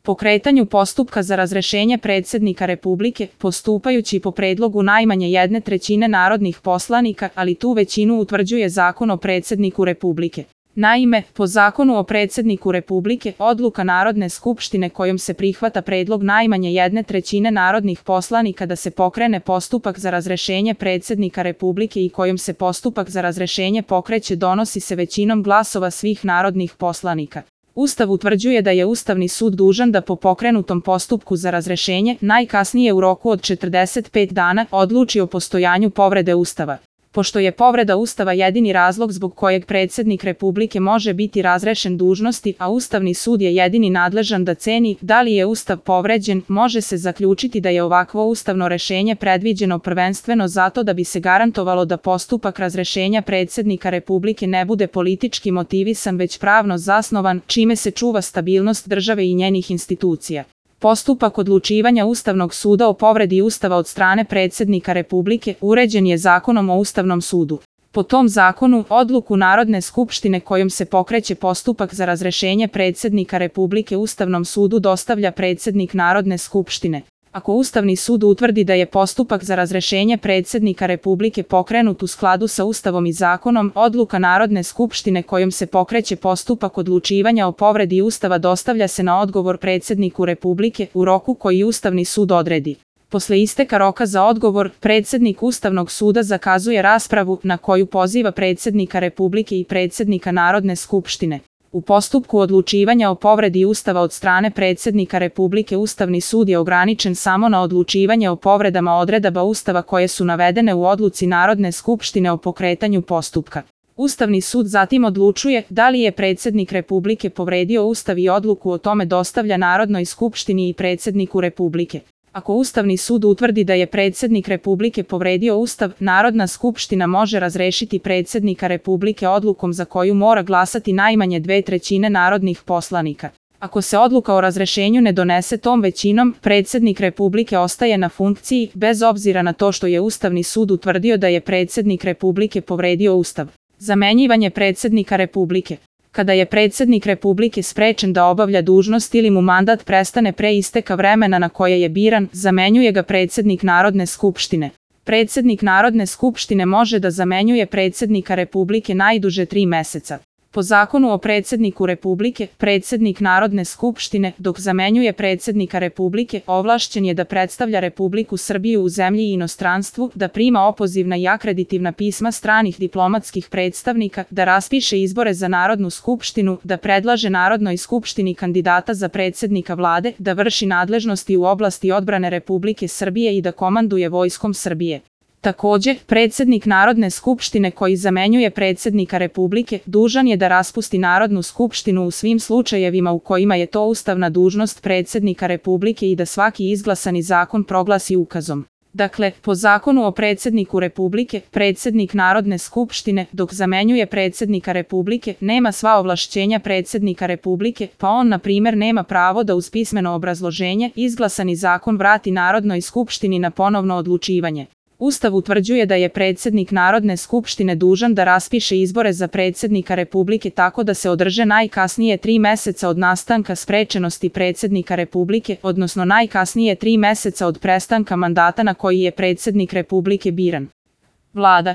pokretanju postupka za razrešenje predsjednika Republike, postupajući po predlogu najmanje 1/3 narodnih poslanika, ali tu većinu utvrđuje Zakon o predsjedniku Republike. Naime, po Zakonu o predsjedniku Republike, odluka Narodne skupštine kojom se prihvata predlog najmanje 1/3 narodnih poslanika da se pokrene postupak za razrešenje predsjednika Republike i kojom se postupak za razrešenje pokreće donosi se većinom glasova svih narodnih poslanika. Ustav utvrđuje da je Ustavni sud dužan da po pokrenutom postupku za razrešenje, najkasnije u roku od 45 dana, odluči o postojanju povrede Ustava. Pošto je povreda Ustava jedini razlog zbog kojeg predsjednik Republike može biti razrešen dužnosti, a Ustavni sud je jedini nadležan da ceni da li je Ustav povređen, može se zaključiti da je ovakvo ustavno rešenje predviđeno prvenstveno zato da bi se garantovalo da postupak razrešenja predsjednika Republike ne bude politički motivisan već pravno zasnovan, čime se čuva stabilnost države i njenih institucija. Postupak odlučivanja Ustavnog suda o povredi Ustava od strane predsjednika Republike uređen je Zakonom o Ustavnom sudu. Po tom zakonu, odluku Narodne skupštine kojom se pokreće postupak za razrešenje predsjednika Republike Ustavnom sudu dostavlja predsjednik Narodne skupštine. Ako Ustavni sud utvrdi da je postupak za razrešenje predsjednika Republike pokrenut u skladu sa Ustavom i zakonom, odluka Narodne skupštine kojom se pokreće postupak odlučivanja o povredi Ustava dostavlja se na odgovor predsjedniku Republike u roku koji Ustavni sud odredi. Posle isteka roka za odgovor, predsjednik Ustavnog suda zakazuje raspravu na koju poziva predsjednika Republike i predsjednika Narodne skupštine. U postupku odlučivanja o povredi Ustava od strane predsjednika Republike Ustavni sud je ograničen samo na odlučivanje o povredama odredaba Ustava koje su navedene u odluci Narodne skupštine o pokretanju postupka. Ustavni sud zatim odlučuje da li je predsjednik Republike povredio Ustav i odluku o tome dostavlja Narodnoj skupštini i predsjedniku Republike. Ako Ustavni sud utvrdi da je predsjednik Republike povredio Ustav, Narodna skupština može razrešiti predsjednika Republike odlukom za koju mora glasati najmanje 2/3 narodnih poslanika. Ako se odluka o razrešenju ne donese tom većinom, predsjednik Republike ostaje na funkciji, bez obzira na to što je Ustavni sud utvrdio da je predsjednik Republike povredio Ustav. Zamenjivanje predsjednika Republike. Kada je predsjednik Republike sprečen da obavlja dužnost ili mu mandat prestane pre isteka vremena na koje je biran, zamenjuje ga predsjednik Narodne skupštine. Predsjednik Narodne skupštine može da zamenjuje predsjednika Republike najduže 3 meseca. Po Zakonu o predsjedniku Republike, predsjednik Narodne skupštine, dok zamenjuje predsjednika Republike, ovlašćen je da predstavlja Republiku Srbiju u zemlji i inostranstvu, da prima opozivna i akreditivna pisma stranih diplomatskih predstavnika, da raspiše izbore za Narodnu skupštinu, da predlaže Narodnoj skupštini kandidata za predsjednika vlade, da vrši nadležnosti u oblasti odbrane Republike Srbije i da komanduje Vojskom Srbije. Takođe, predsjednik Narodne skupštine koji zamenjuje predsjednika Republike dužan je da raspusti Narodnu skupštinu u svim slučajevima u kojima je to ustavna dužnost predsjednika Republike i da svaki izglasani zakon proglasi ukazom. Dakle, po Zakonu o predsjedniku Republike, predsjednik Narodne skupštine, dok zamenjuje predsjednika Republike, nema sva ovlašćenja predsjednika Republike, pa on, na primjer, nema pravo da uz pismeno obrazloženje izglasani zakon vrati Narodnoj skupštini na ponovno odlučivanje. Ustav utvrđuje da je predsjednik Narodne skupštine dužan da raspiše izbore za predsjednika Republike tako da se održe najkasnije 3 meseca od nastanka sprečenosti predsjednika Republike, odnosno najkasnije 3 meseca od prestanka mandata na koji je predsjednik Republike biran. Vlada.